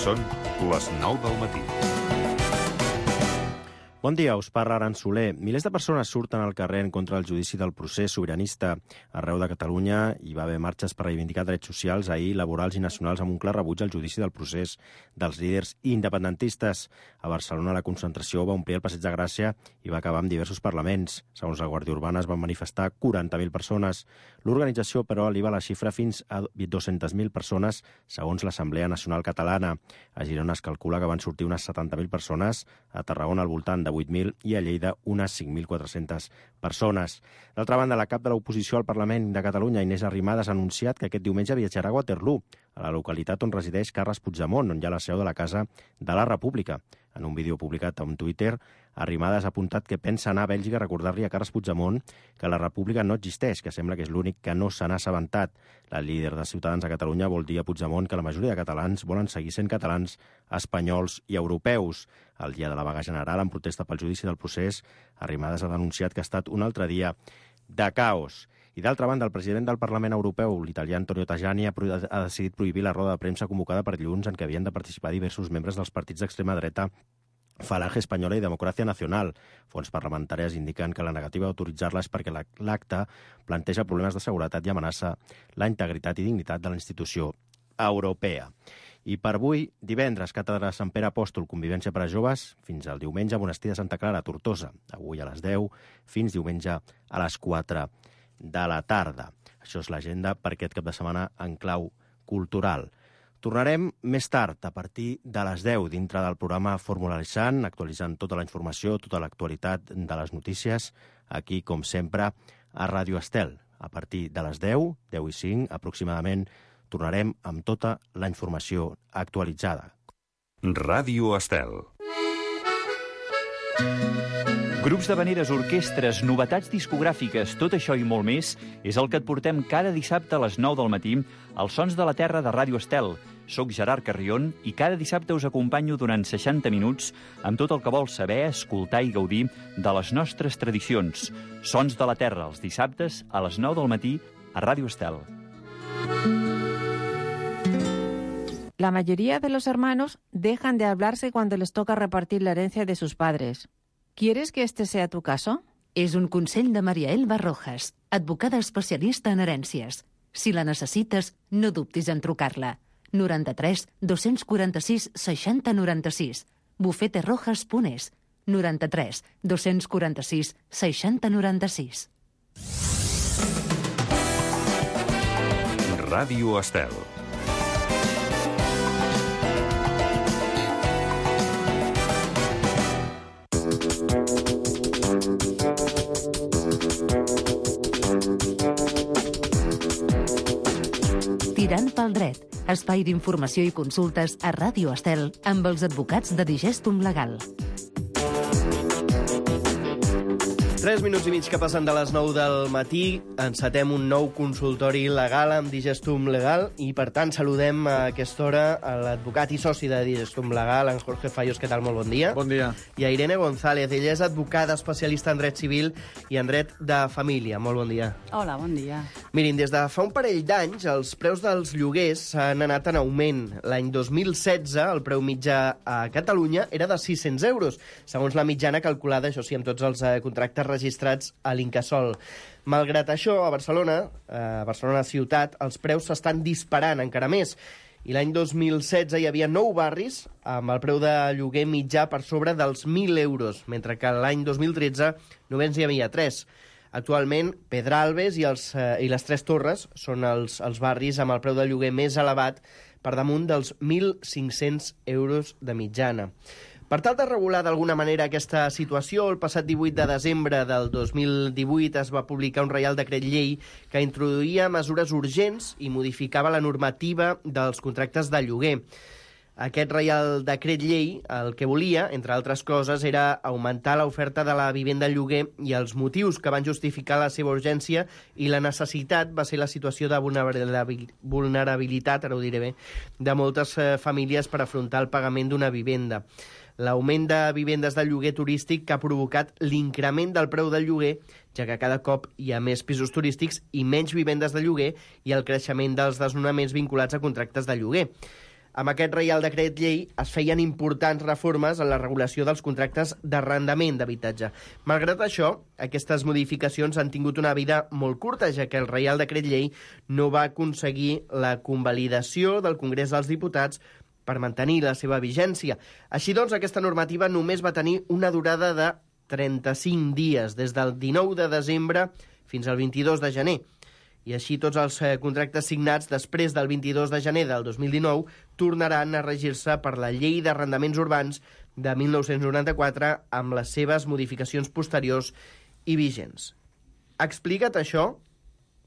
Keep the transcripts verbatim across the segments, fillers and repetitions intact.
Són les nou del matí. Bon dia, us parla Aran Soler. Milers de persones surten al carrer en contra del judici del procés sobiranista. Arreu de Catalunya hi va haver marxes per reivindicar drets socials, ahir laborals i nacionals, amb un clar rebuig al judici del procés dels líders independentistes. A Barcelona la concentració va omplir el Passeig de Gràcia i va acabar amb diversos parlaments. Segons la Guàrdia Urbana es van manifestar quaranta mil persones. L'organització, però, eleva la xifra fins a dues-centes mil persones, segons l'Assemblea Nacional Catalana. A Girona es calcula que van sortir unes setanta mil persones, a Tarragona al voltant de vuit mil i a Lleida unes cinc mil quatre-centes persones. D'altra banda, la cap de l'oposició al Parlament de Catalunya, Inés Arrimadas, ha anunciat que aquest diumenge viatjarà a Waterloo, a la localitat on resideix Carles Puigdemont, on hi ha la seu de la Casa de la República. En un vídeo publicat a Twitter, Arrimadas ha apuntat que pensa anar a Bèlgica a recordar-li a Carles Puigdemont que la República no existeix, que sembla que és l'únic que no se n'ha assabentat. La líder de Ciutadans a Catalunya vol dir a Puigdemont que la majoria de catalans volen seguir sent catalans, espanyols i europeus. El dia de la vaga general, en protesta pel judici del procés, Arrimadas ha denunciat que ha estat un altre dia de caos. I d'altra banda, el president del Parlament Europeu, l'italià Antonio Tajani, ha, ha decidit prohibir la roda de premsa convocada per dilluns en què havien de participar diversos membres dels partits d'extrema dreta Falange Espanyola i Democràcia Nacional. Fonts parlamentàries indiquen que la negativa d'autoritzar-la és perquè l'acte planteja problemes de seguretat i amenaça la integritat i dignitat de la institució europea. I per avui, divendres, càtedra Sant Pere Apòstol, convivència per a joves, fins al diumenge, monestir de Santa Clara, a Tortosa. Avui a les deu, fins diumenge a les quatre de la tarda. Això és l'agenda per aquest cap de setmana en clau cultural. Tornarem més tard, a partir de les deu, dintre del programa Fórmula Leixant, actualitzant tota la informació, tota l'actualitat de les notícies, aquí, com sempre, a Ràdio Estel. A partir de les deu, deu i cinc, aproximadament, tornarem amb tota la informació actualitzada. Ràdio Estel. Grups d'havaneres, orquestres, novetats discogràfiques, tot això i molt més és el que et portem cada dissabte a les nou del matí als Sons de la Terra de Ràdio Estel. Soc Gerard Carrion i cada dissabte us acompanyo durant seixanta minuts amb tot el que vols saber, escoltar i gaudir de les nostres tradicions. Sons de la Terra, els dissabtes a les nou del matí a Ràdio Estel. La mayoría de los hermanos dejan de hablarse cuando les toca repartir la herencia de sus padres. ¿Quieres que este sea tu caso? És un consell de Maria Elba Rojas, advocada especialista en herències. Si la necessites, no dubtis en trucar-la. noranta-tres dos-cents quaranta-sis seixanta noranta-sis. bufete rojas punt es. noranta-tres dos-cents quaranta-sis seixanta noranta-sis. Ràdio Estel. Tirant pel dret, espai d'informació i consultes a Ràdio Estel amb els advocats de Digestum Legal. Tres minuts i mig que passen de les nou del matí, encetem un nou consultori legal amb Digestum Legal i, per tant, saludem a aquesta hora a l'advocat i soci de Digestum Legal, en Jorge Fallos. Què tal? Molt bon dia. Bon dia. I a Irene González, ella és advocada especialista en dret civil i en dret de família. Molt bon dia. Hola, bon dia. Mirin, des de fa un parell d'anys, els preus dels lloguers han anat en augment. L'any dos mil setze, el preu mitjà a Catalunya era de sis-cents euros, segons la mitjana calculada, això sí, amb tots els eh, contractes registrats a l'Incasòl. Malgrat això, a Barcelona, a Barcelona ciutat, els preus s'estan disparant encara més. I l'any dos mil setze hi havia nou barris amb el preu de lloguer mitjà per sobre dels mil euros, mentre que l'any dos mil tretze només hi havia tres. Actualment, Pedralbes i, els, eh, i les Tres Torres són els, els barris amb el preu de lloguer més elevat, per damunt dels mil cinc-cents euros de mitjana. Per tal de regular d'alguna manera aquesta situació, el passat divuit de desembre del dos mil divuit es va publicar un Reial Decret Llei que introduïa mesures urgents i modificava la normativa dels contractes de lloguer. Aquest Reial Decret Llei el que volia, entre altres coses, era augmentar l'oferta de la vivenda en lloguer i els motius que van justificar la seva urgència i la necessitat va ser la situació de vulnerabilitat, ara ho diré bé, de moltes eh, famílies per afrontar el pagament d'una vivenda. L'augment de vivendes de lloguer turístic que ha provocat l'increment del preu del lloguer, ja que cada cop hi ha més pisos turístics i menys vivendes de lloguer i el creixement dels desnonaments vinculats a contractes de lloguer. Amb aquest Reial Decret Llei es feien importants reformes en la regulació dels contractes d'arrendament d'habitatge. Malgrat això, aquestes modificacions han tingut una vida molt curta, ja que el Reial Decret Llei no va aconseguir la convalidació del Congrés dels Diputats per mantenir la seva vigència. Així doncs, aquesta normativa només va tenir una durada de trenta-cinc dies, des del dinou de desembre fins al vint-i-dos de gener. I així tots els contractes signats després del vint-i-dos de gener del dos mil dinou tornaran a regir-se per la Llei d'Arrendaments Urbans de mil nou-cents noranta-quatre amb les seves modificacions posteriors i vigents. Explica't això,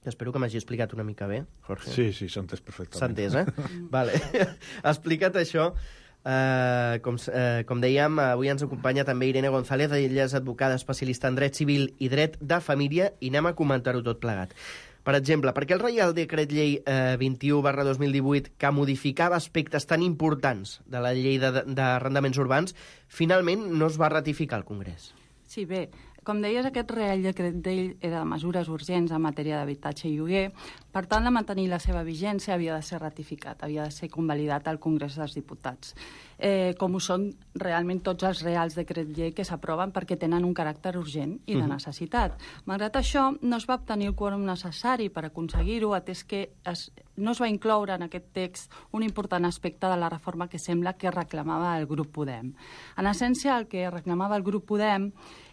que espero que m'hagi explicat una mica bé, Jorge. Sí, sí, s'ha entès perfectament. S'ha entès, eh? Vale. Explica't això. Uh, com, uh, com dèiem, avui ens acompanya també Irene González, ella és advocada especialista en dret civil i dret de família, i anem a comentar-ho tot plegat. Per exemple, per què el Reial Decret Llei eh, vint-i-u barra dos mil divuit, que modificava aspectes tan importants de la llei d'arrendaments urbans, finalment no es va ratificar al Congrés? Sí, bé, com deies, aquest Reial Decret Llei era de mesures urgents en matèria d'habitatge i lloguer. Per tant, de mantenir la seva vigència havia de ser ratificat, havia de ser convalidat al Congrés dels Diputats. Eh, com ho són realment tots els Reals Decret Llei que s'aproven perquè tenen un caràcter urgent i de necessitat. Malgrat això, no es va obtenir el quòrum necessari per aconseguir-ho, atès que es, no es va incloure en aquest text un important aspecte de la reforma que sembla que reclamava el grup Podem. En essència, el que reclamava el grup Podem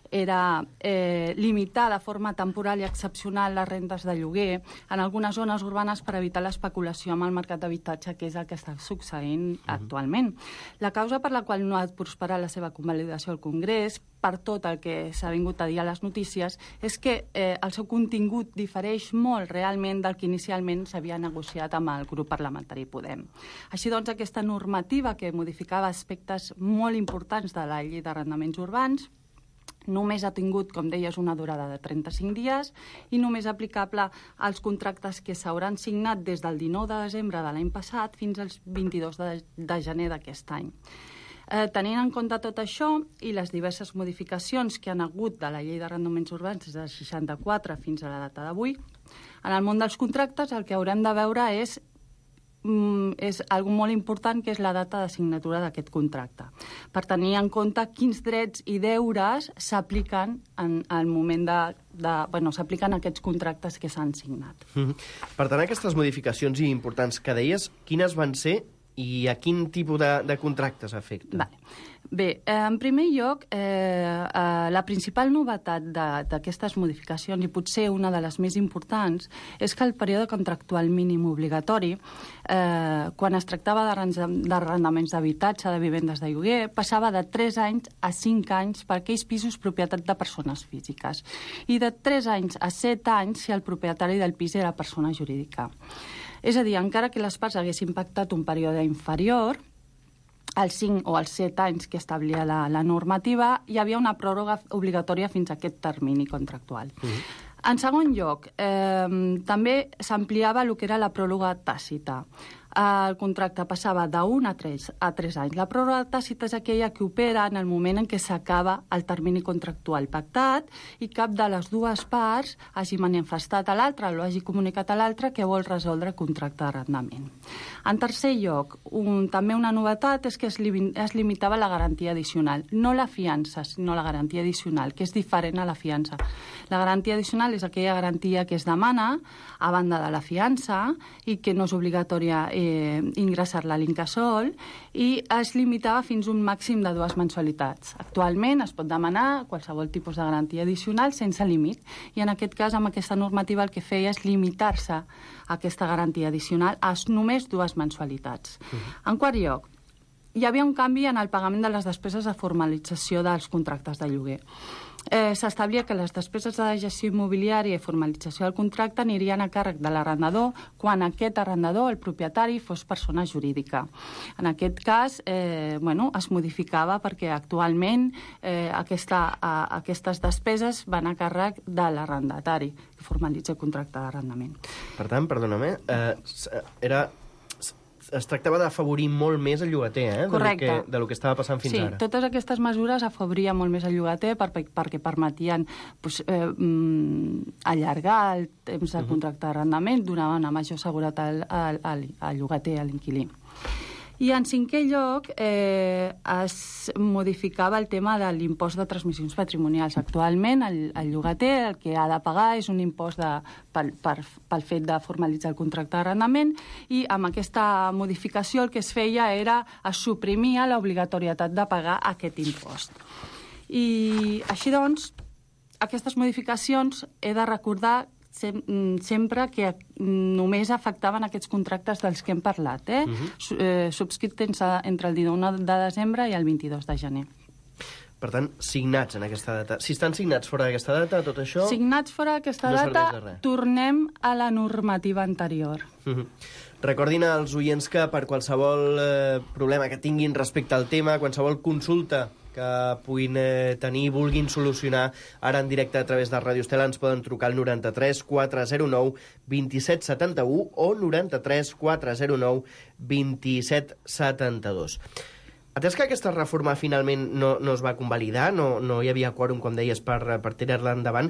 era eh, limitar de forma temporal i excepcional les rendes de lloguer en algunes zones urbanes per evitar l'especulació amb el mercat d'habitatge, que és el que està succeint uh-huh. actualment. La causa per la qual no ha prosperat la seva convalidació al Congrés, per tot el que s'ha vingut a dir a les notícies, és que eh, el seu contingut difereix molt realment del que inicialment s'havia negociat amb el grup parlamentari Podem. Així doncs, aquesta normativa que modificava aspectes molt importants de la llei d'arrendaments urbans només ha tingut, com deies, una durada de trenta-cinc dies i només aplicable als contractes que s'hauran signat des del dinou de desembre de l'any passat fins al vint-i-dos de, de gener d'aquest any. Eh, tenint en compte tot això i les diverses modificacions que han hagut de la llei d'arrendaments urbans des del seixanta-quatre fins a la data d'avui, en el món dels contractes el que haurem de veure és és algo molt important, que és la data de signatura d'aquest contracte, per tenir en compte quins drets i deures s'apliquen en el moment de, de bueno, s'apliquen aquests contractes que s'han signat. Mm-hmm. Per tant, aquestes modificacions importants que deies, quines van ser i a quin tipus de, de contractes afecta? Vale. Bé, eh, en primer lloc, eh, eh, la principal novetat d'aquestes modificacions, i potser una de les més importants, és que el període contractual mínim obligatori, eh, quan es tractava d'arrendaments d'habitatge, de vivendes de lloguer, passava de tres anys a cinc anys per aquells pisos propietat de persones físiques i de tres anys a set anys si el propietari del pis era persona jurídica. És a dir, encara que les parts haguessin pactat un període inferior, als cinc o als set anys que establia la, la normativa, hi havia una pròrroga obligatòria fins a aquest termini contractual. Uh-huh. En segon lloc, eh, també s'ampliava el que era la pròrroga tàcita. El contracte passava d'un a tres, a tres anys. La pròrroga tàcita és aquella que opera en el moment en què s'acaba el termini contractual pactat i cap de les dues parts hagi manifestat a l'altra o hagi comunicat a l'altra que vol resoldre el contracte d'arrendament. En tercer lloc, un, també una novetat és que es, li, es limitava la garantia addicional, no la fiança, sinó la garantia addicional, que és diferent a la fiança. La garantia addicional és aquella garantia que es demana a banda de la fiança i que no és obligatòria eh, ingressar-la a l'Incasòl i es limitava fins a un màxim de dues mensualitats. Actualment es pot demanar qualsevol tipus de garantia addicional sense límit i en aquest cas amb aquesta normativa el que feia és limitar-se a aquesta garantia addicional a només dues mensualitats. Uh-huh. En quart lloc, hi havia un canvi en el pagament de les despeses de formalització dels contractes de lloguer. Eh, s'establia que les despeses de gestió immobiliària i formalització del contracte anirien a càrrec de l'arrendador quan aquest arrendador, el propietari, fos persona jurídica. En aquest cas, eh, bueno, es modificava perquè actualment eh, aquesta, a, aquestes despeses van a càrrec de l'arrendatari que formalitza el contracte d'arrendament. Per tant, perdona-me, eh, era... es tractava d'afavorir molt més el llogater, eh? Correcte. De lo que, de lo que estava passant fins sí, ara. Sí, totes aquestes mesures afavorien molt més el llogater per, perquè permetien pues, eh, mm, allargar el temps del contracte d'arrendament, donaven una major seguretat al, al, al llogater, a l'inquilí. I en cinquè lloc eh, es modificava el tema de l'impost de transmissions patrimonials. Actualment el, el llogater el que ha de pagar és un impost de, pel, per, pel fet de formalitzar el contracte d'arrendament, i amb aquesta modificació el que es feia era es suprimia l'obligatorietat de pagar aquest impost. I així doncs, aquestes modificacions he de recordar sempre que només afectaven aquests contractes dels que hem parlat, eh? Uh-huh. eh subscrits entre el dinou de desembre i el vint-i-dos de gener. Per tant, signats en aquesta data. Si estan signats fora d'aquesta data, tot això... Signats fora d'aquesta no data, tornem a la normativa anterior. Uh-huh. Recordin als oients que per qualsevol eh, problema que tinguin respecte al tema, qualsevol consulta que puguin eh, tenir i vulguin solucionar ara en directe a través de Ràdio Estel, ens poden trucar al noranta-tres quatre zero nou vint-i-set setanta-u o noranta-tres quatre zero nou vint-i-set setanta-dos. Atès que aquesta reforma finalment no, no es va convalidar, no, no hi havia quòrum, com deies, per, per tirar-la endavant,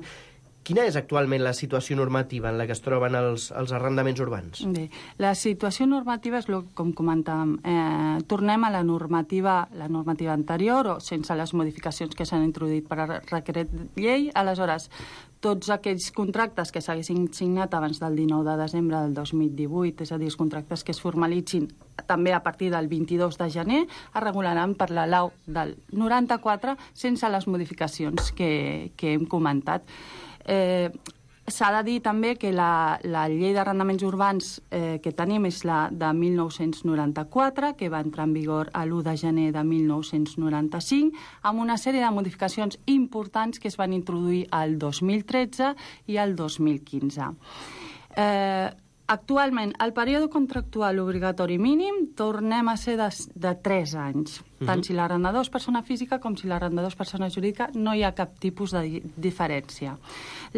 quina és actualment la situació normativa en la que es troben els, els arrendaments urbans? Bé, la situació normativa és, com comentàvem, eh, tornem a la normativa, la normativa anterior, o sense les modificacions que s'han introduït per a decret llei. Aleshores, tots aquells contractes que s'haguessin signat abans del dinou de desembre del dos mil divuit, és a dir, els contractes que es formalitzin també a partir del vint-i-dos de gener, es regularan per la lau del noranta-quatre sense les modificacions que, que hem comentat. Eh, S'ha de dir també que la, la llei d'arrendaments urbans eh, que tenim és la de mil nou-cents noranta-quatre, que va entrar en vigor l'u de gener de mil nou-cents noranta-cinc, amb una sèrie de modificacions importants que es van introduir el dos mil tretze i el dos mil quinze. Eh, Actualment, el període contractual obligatori mínim tornem a ser de, de tres anys. Tant si l'arrendador és persona física com si l'arrendador és persona jurídica, no hi ha cap tipus de di diferència.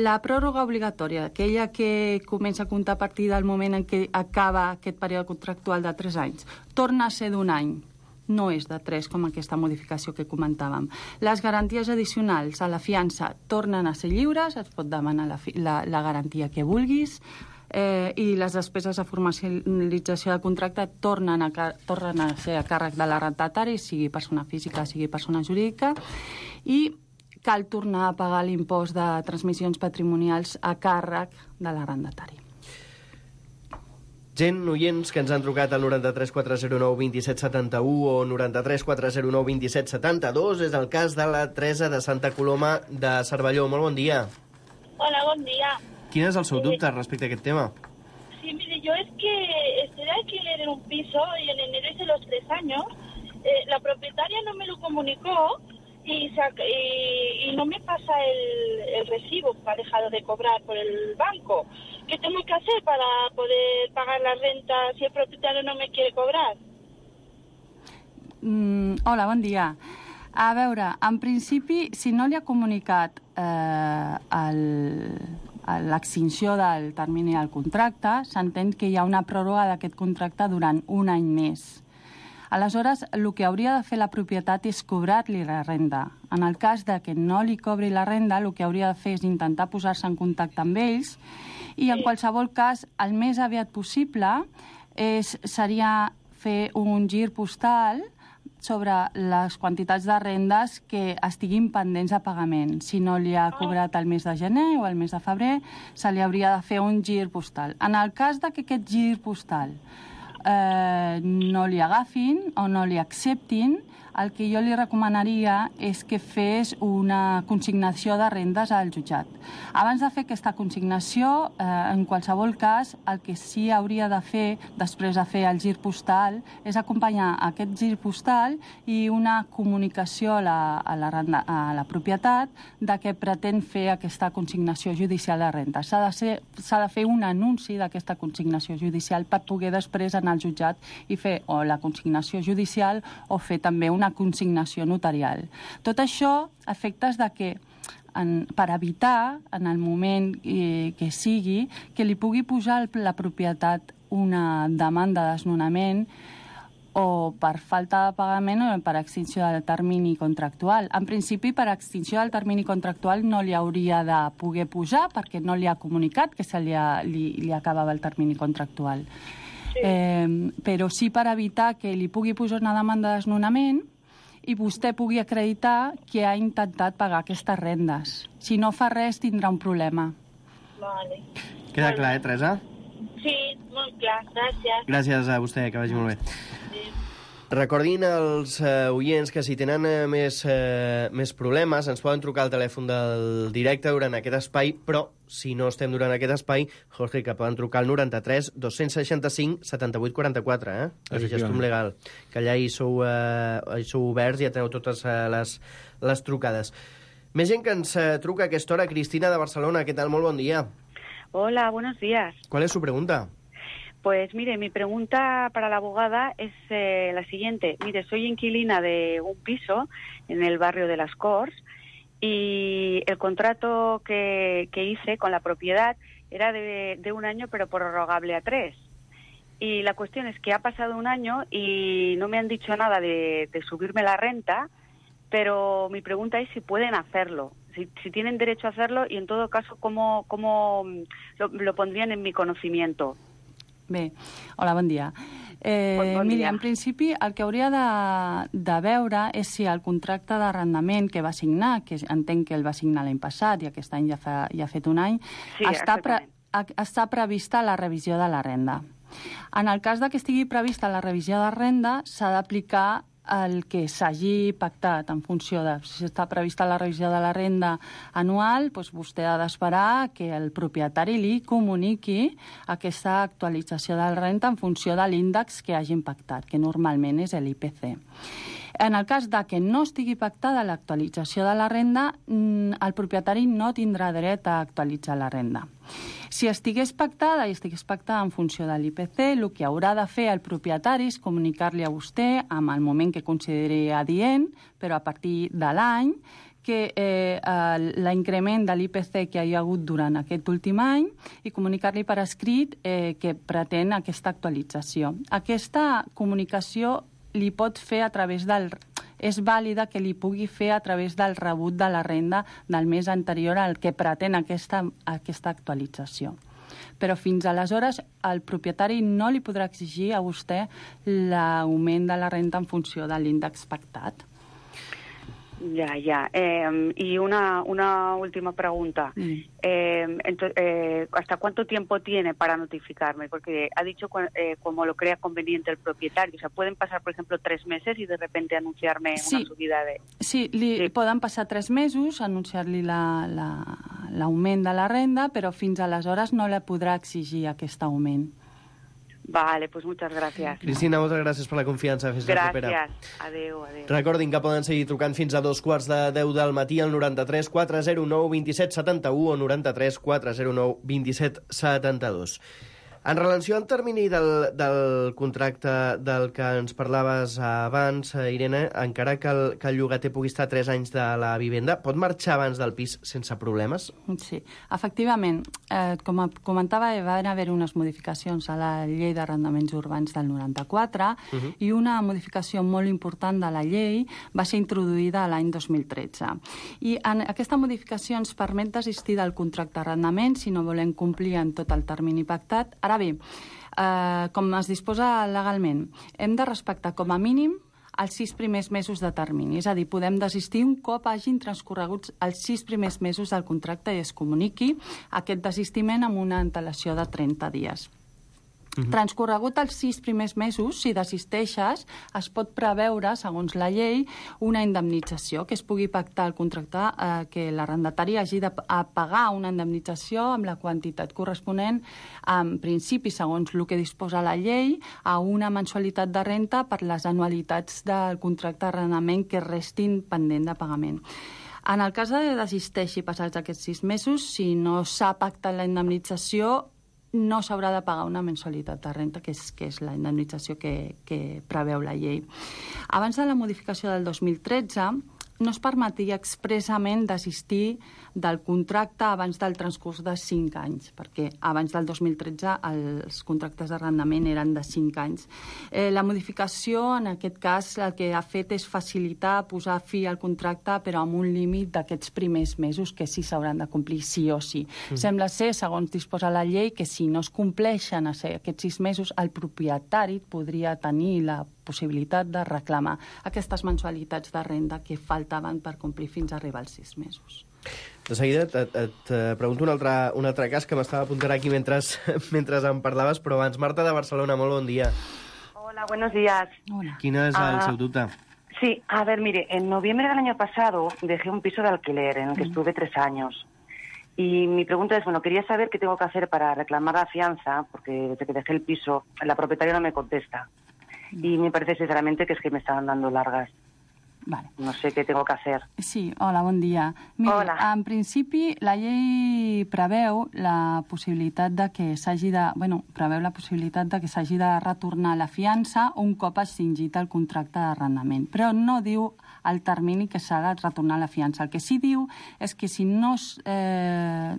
La pròrroga obligatòria, aquella que comença a comptar a partir del moment en què acaba aquest període contractual de tres anys, torna a ser d'un any. No és de tres, com aquesta modificació que comentàvem. Les garanties addicionals a la fiança tornen a ser lliures, es pot demanar la, la, la garantia que vulguis, Eh, i les despeses de formalització de contracte tornen a, tornen a ser a càrrec de l'arrendatari, sigui persona física, sigui persona jurídica, i cal tornar a pagar l'impost de transmissions patrimonials a càrrec de l'arrendatari. Gent, oients, que ens han trucat al noranta-tres quatre zero nou vint-i-set setanta-u o noranta-tres quatre zero nou vint-i-set setanta-dos. És el cas de la Teresa de Santa Coloma de Cervelló. Molt bon dia. Hola, bon dia. ¿Quién es el seu dubte respecto a aquest tema? Sí, mire, yo es que estoy de alquiler en un piso y en enero hice los tres años. Eh, la propietaria no me lo comunicó y, y, y no me pasa el, el recibo que ha dejado de cobrar por el banco. ¿Qué tengo que hacer para poder pagar la renta si el propietario no me quiere cobrar? Mm, hola, bon dia. A veure, en principi, si no li ha comunicat eh, el... l'extinció del termini del contracte, s'entén que hi ha una pròrroga d'aquest contracte durant un any més. Aleshores, el que hauria de fer la propietat és cobrar-li la renda. En el cas de que no li cobri la renda, el que hauria de fer és intentar posar-se en contacte amb ells i, en qualsevol cas, el més aviat possible és, seria fer un gir postal sobre les quantitats de rendes que estiguin pendents de pagament. Si no li ha cobrat el mes de gener o el mes de febrer, se li hauria de fer un gir postal. En el cas de que aquest gir postal eh, no li agafin o no li acceptin, el que jo li recomanaria és que fes una consignació de rendes al jutjat. Abans de fer aquesta consignació, eh, en qualsevol cas, el que sí hauria de fer, després de fer el gir postal, és acompanyar aquest gir postal i una comunicació a la, a la, renda, a la propietat de que pretén fer aquesta consignació judicial de renta. S'ha de, ser, s'ha de fer un anunci d'aquesta consignació judicial per poder després anar al jutjat i fer o la consignació judicial o fer també una consignació notarial. Tot això a efectes de que, en, per evitar, en el moment eh, que sigui, que li pugui posar la propietat una demanda de desnonament o per falta de pagament o per extinció del termini contractual. En principi, per extinció del termini contractual no li hauria de poder posar perquè no li ha comunicat que se li, ha, li, li acabava el termini contractual. sí. eh, però sí per evitar que li pugui posar una demanda de desnonament i vostè pugui acreditar que ha intentat pagar aquestes rendes. Si no fa res, tindrà un problema. Vale. Queda clar, eh, Teresa? Sí, molt clar, gràcies. Gràcies a vostè, que vagi molt bé. Sí. Recordin als uh, oients que si tenen uh, més, uh, més problemes ens poden trucar al telèfon del directe durant aquest espai, però si no estem durant aquest espai, Jorge, que poden trucar al noranta-tres dos-cents seixanta-cinc setanta-vuit quaranta-quatre, eh? El gestum legal, que allà hi sou, uh, hi sou oberts i ja teniu totes uh, les, les trucades. Més gent que ens uh, truca a aquesta hora. Cristina de Barcelona, què tal? Molt bon dia. Hola, buenos días. ¿Cuál es su pregunta? Pues mire, mi pregunta para la abogada es eh, la siguiente. Mire, soy inquilina de un piso en el barrio de Las Corts y el contrato que, que hice con la propiedad era de, de un año pero prorrogable a tres. Y la cuestión es que ha pasado un año y no me han dicho nada de, de subirme la renta, pero mi pregunta es si pueden hacerlo, si, si tienen derecho a hacerlo y en todo caso cómo, cómo lo, lo pondrían en mi conocimiento. Bé, hola, bon dia. Eh, bon, bon miri, dia. en principi, el que hauria de, de veure és si el contracte d'arrendament que va signar, que entenc que el va signar l'any passat i aquest any ja, fa, ja ha fet un any, sí, està, pre, està prevista la revisió de la renda. En el cas de que estigui prevista la revisió de renda, s'ha d'aplicar el que s'hagi pactat en funció de si està prevista la revisió de la renda anual, doncs vostè ha d'esperar que el propietari li comuniqui aquesta actualització de la renta en funció de l'índex que hagin pactat, que normalment és l'I P C. En el cas de que no estigui pactada l'actualització de la renda, el propietari no tindrà dret a actualitzar la renda. Si estigués pactada i estigués pactada en funció de l'I P C, el que haurà de fer el propietari és comunicar-li a vostè en el moment que consideri adient, però a partir de l'any, que eh, l'increment de l'I P C que hi ha hagut durant aquest últim any i comunicar-li per escrit eh, que pretén aquesta actualització. Aquesta comunicació li pot fer a través del... és vàlida que li pugui fer a través del rebut de la renda del mes anterior al que pretén aquesta, aquesta actualització. Però fins aleshores el propietari no li podrà exigir a vostè l'augment de la renta en funció de l'índex pactat. Ya, ya. Eh, y una, una última pregunta. Mm. Eh, entonces, eh, ¿hasta cuánto tiempo tiene para notificarme? Porque ha dicho eh, como lo crea conveniente el propietario. O sea, pueden pasar, por ejemplo, tres meses y de repente anunciarme sí. una subida de... Sí, li sí. poden passar tres mesos, anunciar-li l'augment la, la, de la renda, però fins aleshores no la podrà exigir aquest augment. Vale, pues muchas gracias. Cristina, moltes gràcies per la confiança. Fins la propera. Gràcies. Adéu, adéu. Recordin que poden seguir trucant fins a dos quarts de deu del matí al noranta-tres quatre zero nou vint set setanta-u o noranta-tres quatre zero nou vint set setanta-dos. En relació al termini del, del contracte del que ens parlaves abans, Irene, encara que el, que el llogater pugui estar tres anys de la vivenda, pot marxar abans del pis sense problemes? Sí, efectivament. Eh, com comentava, van haver unes modificacions a la llei d'arrendaments urbans del noranta-quatre uh-huh. i una modificació molt important de la llei va ser introduïda l'any dos mil tretze. I en aquesta modificació ens permet desistir del contracte d'arrendament si no volem complir en tot el termini pactat. Ara bé, eh, com es disposa legalment, hem de respectar com a mínim els sis primers mesos de termini. És a dir, podem desistir un cop hagin transcorregut els sis primers mesos del contracte i es comuniqui aquest desistiment amb una antelació de trenta dies. Uh-huh. Transcorregut els sis primers mesos, si desisteixes, es pot preveure, segons la llei, una indemnització, que es pugui pactar el contracte, eh, que l'arrendatari hagi de pagar una indemnització amb la quantitat corresponent, en principi, segons el que disposa la llei, a una mensualitat de renta per les anualitats del contracte d'arrendament que restin pendent de pagament. En el cas de desisteixi passats aquests sis mesos, si no s'ha pactat la indemnització, no s'haurà de pagar una mensualitat de renta, que és, que és la indemnització que, que preveu la llei. Abans de la modificació del dos mil tretze, no es permetia expressament desistir del contracte abans del transcurs de cinc anys, perquè abans del dos mil tretze els contractes d'arrendament eren de cinc anys. Eh, la modificació, en aquest cas, el que ha fet és facilitar posar fi al contracte, però amb un límit d'aquests primers mesos que sí s'hauran de complir sí o sí. Mm. Sembla ser, segons disposa la llei, que si no es compleixen aquests sis mesos, el propietari podria tenir la possibilitat de reclamar aquestes mensualitats de renda que faltaven per complir fins a arribar als sis mesos. De seguida et, et, et pregunto un altre, un altre cas que m'estava apuntant aquí mentre, mentre em parlaves, però abans, Marta de Barcelona, molt bon dia. Hola, buenos días. Hola. Quin és el Ah, seu dubte? Sí, a ver, mire, en noviembre del año pasado dejé un piso de alquiler en el que estuve tres años. Y mi pregunta es, bueno, quería saber qué tengo que hacer para reclamar la fianza, porque desde que dejé el piso, la propietaria no me contesta. Y me parece sinceramente que es que me estaban dando largas. Vale. No sé què tengo que hacer. Sí, hola, bon dia. Mira, Hola. en principi, la llei preveu la possibilitat de que s'hagi de... Bueno, preveu la possibilitat de que s'hagi de retornar la fiança un cop extingit el contracte d'arrendament, però no diu el termini que s'ha de retornar la fiança. El que sí diu és que si no es eh,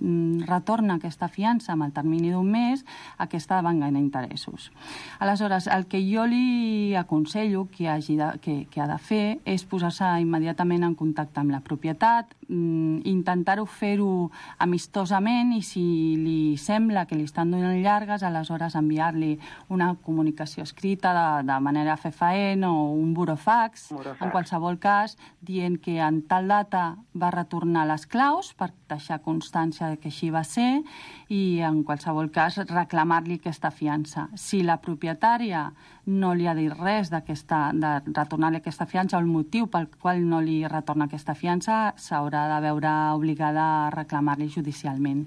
retorna aquesta fiança amb el termini d'un mes, aquesta venga en interessos. Aleshores, el que jo li aconsello que, hagi de, que, que ha de fer és posar-se immediatament en contacte amb la propietat, intentar-ho fer-ho amistosament i si li sembla que li estan donant llargues, aleshores enviar-li una comunicació escrita de, de manera fefaent o un burofax, Burofax. en qualsevol cas, dient que en tal data va retornar les claus per deixar constància de que així va ser i en qualsevol cas reclamar-li aquesta fiança. Si la propietària no li ha dit res d'aquesta, de retornar-li aquesta fiança o el motiu pel qual no li retorna aquesta fiança, s'haurà de veure obligada a reclamar-li judicialment.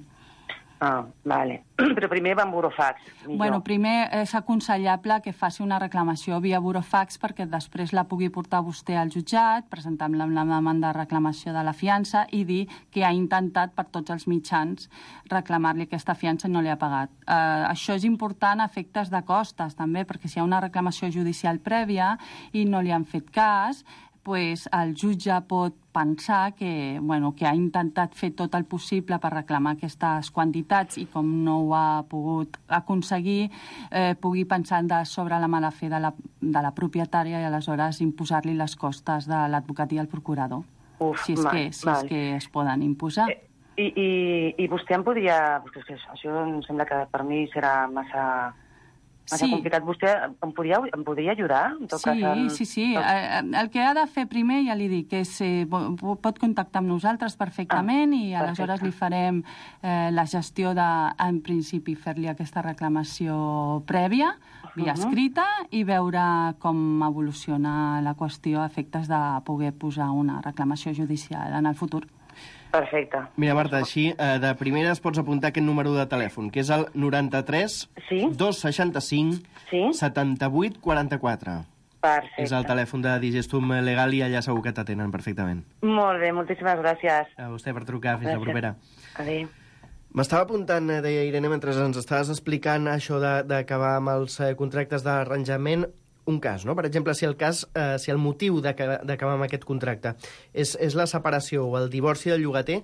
Ah, vale. Però primer va en burofax. Bueno, primer és aconsellable que faci una reclamació via burofax perquè després la pugui portar vostè al jutjat, presentar-la amb la demanda de reclamació de la fiança i dir que ha intentat per tots els mitjans reclamar-li aquesta fiança i no li ha pagat. Uh, això és important a efectes de costes també, perquè si hi ha una reclamació judicial prèvia i no li han fet cas, pues el jutge pot pensar que, bueno, que ha intentat fer tot el possible per reclamar aquestes quantitats i com no ho ha pogut aconseguir, eh, pugui pensar de sobre la mala fe de la, de la propietària i aleshores imposar-li les costes de l'advocat i el procurador. Uf, si és, mal, que, si mal. és que es poden imposar. Eh, I, i, i vostè em podria... Perquè això em sembla que per mi serà massa... Massa Sí. complicat. Vostè em podria, em podria ajudar? En tot Sí, cas, en... sí, sí. Eh, El que ha de fer primer, ja li dic, és eh, po- pot contactar amb nosaltres perfectament Ah, i aleshores perfecte. li farem eh, la gestió de, en principi, fer-li aquesta reclamació prèvia, via Mhm. escrita, i veure com evoluciona la qüestió a efectes de poder posar una reclamació judicial en el futur. Perfecte. Mira, Marta, així, eh, de primeres pots apuntar aquest número de telèfon, que és el noranta-tres Sí. dos seixanta-cinc Sí. setanta-vuit quaranta-quatre. Perfecte. És el telèfon de Digestum Legal i allà segur que t'atenen perfectament. Molt bé, moltíssimes gràcies. A vostè per trucar, fins la Gràcies. propera. Adéu. M'estava apuntant, eh, deia Irene, mentre ens estaves explicant això de- d'acabar amb els eh, contractes d'arranjament, un cas, no? Per exemple, si el cas, eh, si el motiu d'aca- d'acabar amb aquest contracte és, és la separació o el divorci del llogater,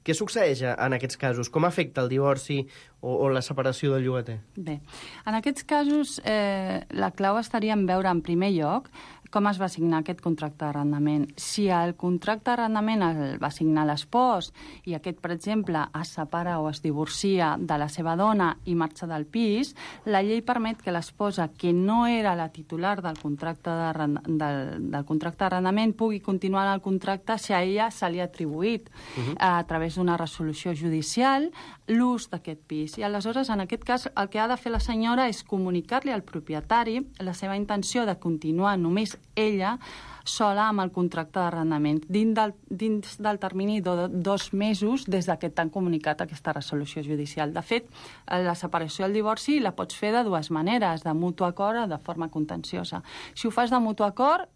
què succeeix en aquests casos? Com afecta el divorci o, o la separació del llogater? Bé, en aquests casos eh, la clau estaria en veure en primer lloc com es va signar aquest contracte d'arrendament. Si el contracte d'arrendament el va signar l'espòs i aquest, per exemple, es separa o es divorcia de la seva dona i marxa del pis, la llei permet que l'esposa, que no era la titular del contracte d'arrend- del, del contracte d'arrendament, pugui continuar en el contracte si a ella se li ha atribuït uh-huh. a través d'una resolució judicial l'ús d'aquest pis. I aleshores, en aquest cas, el que ha de fer la senyora és comunicar-li al propietari la seva intenció de continuar només ella sola amb el contracte d'arrendament dins del, dins del termini de dos mesos des que t'han comunicat aquesta resolució judicial. De fet, la separació i el divorci la pots fer de dues maneres, de mutu acord o de forma contenciosa. Si ho fas de mutu acord,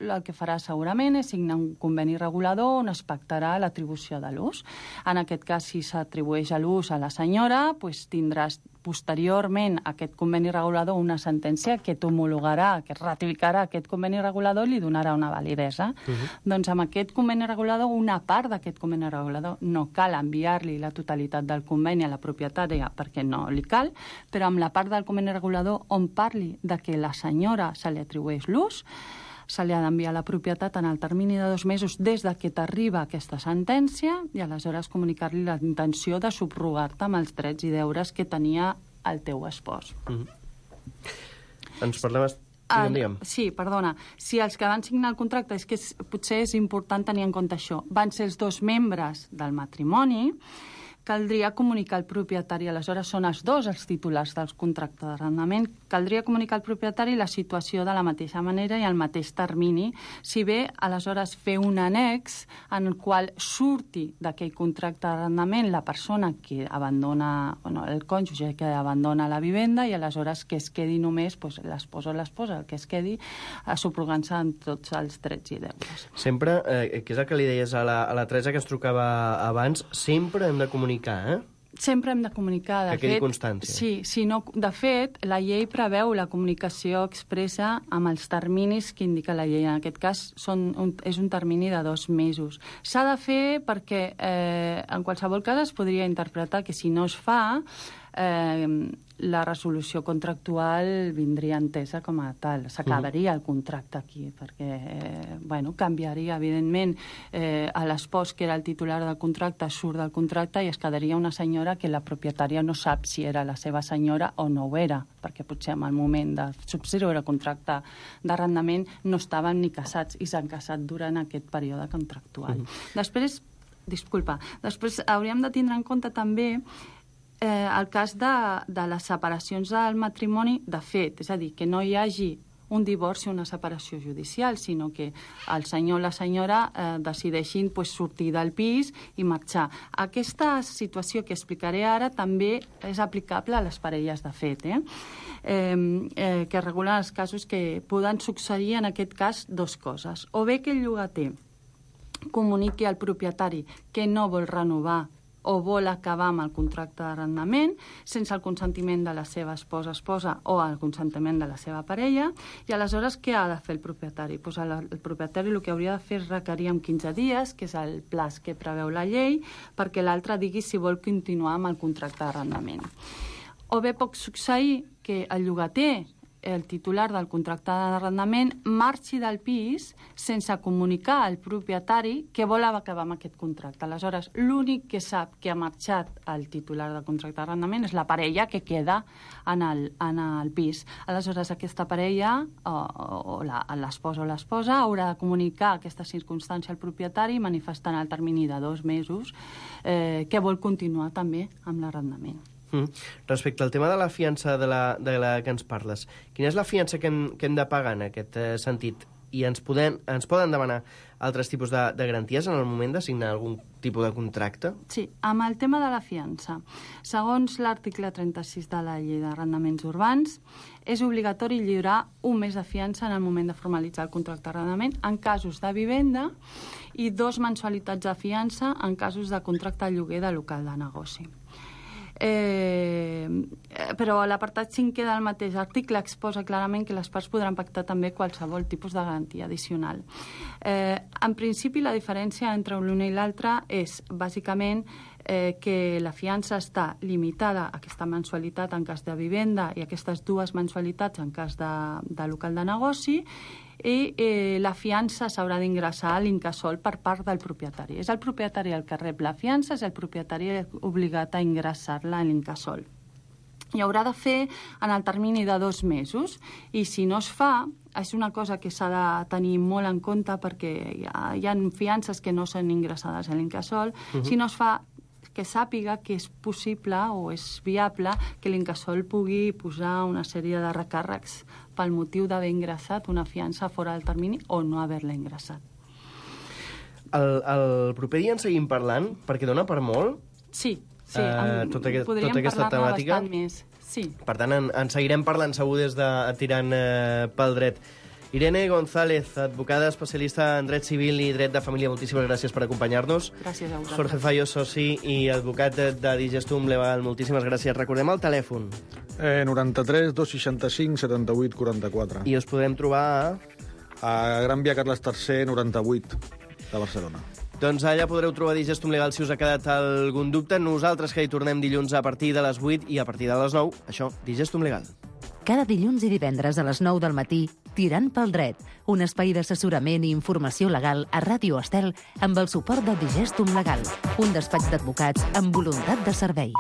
el que farà segurament és signar un conveni regulador on es pactarà l'atribució de l'ús. En aquest cas, si s'atribueix a l'ús a la senyora, doncs tindràs posteriorment a aquest conveni regulador una sentència que t'homologarà, que ratificarà aquest conveni regulador i li donarà una validesa. Uh-huh. Doncs amb aquest conveni regulador, una part d'aquest conveni regulador no cal enviar-li la totalitat del conveni a la propietària perquè no li cal, però amb la part del conveni regulador on parli de que la senyora se li atribueix l'ús, se li ha d'enviar la propietat en el termini de dos mesos des de que t'arriba aquesta sentència i aleshores comunicar-li la intenció de subrogar-te amb els drets i deures que tenia el teu espòs. Mm-hmm. Ens parlem... Digue'm, digue'm. Sí, perdona. Si els que van signar el contracte, és que és, potser és important tenir en compte això, van ser els dos membres del matrimoni, caldria comunicar al propietari, aleshores són els dos els titulars dels contractes d'arrendament, caldria comunicar al propietari la situació de la mateixa manera i al mateix termini, si bé aleshores fer un annex en el qual surti d'aquell contracte d'arrendament la persona que abandona, bueno, el cònjuge que abandona la vivenda i aleshores que es quedi només pues, l'esposa o l'esposa, el que es quedi subrogant-se en tots els drets i deures. Sempre, eh, que és el que li deies a la, a la Teresa que ens trucava abans, sempre hem de comunicar Eh? Sempre hem de comunicar. De que quedi fet, constància. Sí, si no, de fet, la llei preveu la comunicació expressa amb els terminis que indica la llei. En aquest cas són un, és un termini de dos mesos. S'ha de fer perquè eh, en qualsevol cas es podria interpretar que si no es fa eh, la resolució contractual vindria entesa com a tal. S'acabaria el contracte aquí, perquè eh, bueno, canviaria, evidentment, eh, a l'espòs, que era el titular del contracte, surt del contracte i es quedaria una senyora que la propietària no sap si era la seva senyora o no ho era, perquè potser en el moment de subscriure el contracte d'arrendament no estaven ni casats i s'han casat durant aquest període contractual. Mm. Després, disculpa, després hauríem de tindre en compte també Eh, el cas de, de les separacions del matrimoni de fet, és a dir, que no hi hagi un divorci o una separació judicial, sinó que el senyor o la senyora eh, decideixin pues, sortir del pis i marxar. Aquesta situació que explicaré ara també és aplicable a les parelles de fet, eh? Eh, eh, que regulen els casos que poden succeir en aquest cas dos coses. O bé que el llogater comuniqui al propietari que no vol renovar o vol acabar amb el contracte d'arrendament sense el consentiment de la seva esposa, esposa o el consentiment de la seva parella, i aleshores què ha de fer el propietari? Pues el, el propietari el que hauria de fer és requerir en quinze dies, que és el plaç que preveu la llei, perquè l'altre digui si vol continuar amb el contracte d'arrendament. O bé pot succeir que el llogater, el titular del contracte d'arrendament, marxi del pis sense comunicar al propietari que vol acabar amb aquest contracte. Aleshores, l'únic que sap que ha marxat el titular del contracte d'arrendament és la parella que queda en el, en el pis. Aleshores, aquesta parella, o, o l'espòs o l'esposa, haurà de comunicar aquesta circumstància al propietari manifestant el termini de dos mesos eh, que vol continuar també amb l'arrendament. Mm. Respecte al tema de la fiança de la, de la que ens parles, quina és la fiança que hem, que hem de pagar en aquest eh, sentit? I ens, poden, ens poden demanar altres tipus de, de garanties en el moment de signar algun tipus de contracte? Sí, amb el tema de la fiança. Segons l'article trenta-sis de la llei d'arrendaments urbans, és obligatori lliurar un mes de fiança en el moment de formalitzar el contracte d'arrendament en casos de vivenda i dos mensualitats de fiança en casos de contracte de lloguer de local de negoci. Eh, però l'apartat cinquè del mateix article exposa clarament que les parts podran pactar també qualsevol tipus de garantia addicional. Eh, en principi, la diferència entre l'una i l'altra és, bàsicament, eh, que la fiança està limitada a aquesta mensualitat en cas de vivenda i aquestes dues mensualitats en cas de, de local de negoci, i eh, la fiança s'haurà d'ingressar a l'incasòl per part del propietari. És el propietari el que rep la fiança, és el propietari obligat a ingressar-la a l'incasòl. I haurà de fer en el termini de dos mesos, i si no es fa, és una cosa que s'ha de tenir molt en compte perquè hi ha, hi ha fiances que no són ingressades a l'incasòl. Uh-huh. Si no es fa, que sàpiga que és possible o és viable que l'Incasòl pugui posar una sèrie de recàrrecs pel motiu d'haver ingressat una fiança fora del termini o no haver-la ingressat. El, el proper dia en seguim parlant, perquè dona per molt. Sí, sí. Uh, tota, aquest, podríem tota aquesta parlar-ne temàtica. bastant més. Sí. Per tant, en, en seguirem parlant segur des de tirant eh, pel dret. Irene González, advocada especialista en dret civil i dret de família, moltíssimes gràcies per acompanyar-nos. Gràcies a vosaltres. Jorge Fallo, soci i advocat de Digestum Legal, moltíssimes gràcies. Recordem el telèfon. Eh, noranta-tres dos seixanta-cinc setanta-vuit quaranta-quatre. I us podem trobar a... A Gran Via Carles tercer, noranta-vuit, de Barcelona. Doncs allà podreu trobar Digestum Legal si us ha quedat algun dubte. Nosaltres que hi tornem dilluns a partir de les vuit i a partir de les nou, això, Digestum Legal. Cada dilluns i divendres a les nou del matí, Tirant pel dret, un espai d'assessorament i informació legal a Ràdio Estel amb el suport de Digestum Legal, un despatx d'advocats amb voluntat de servei.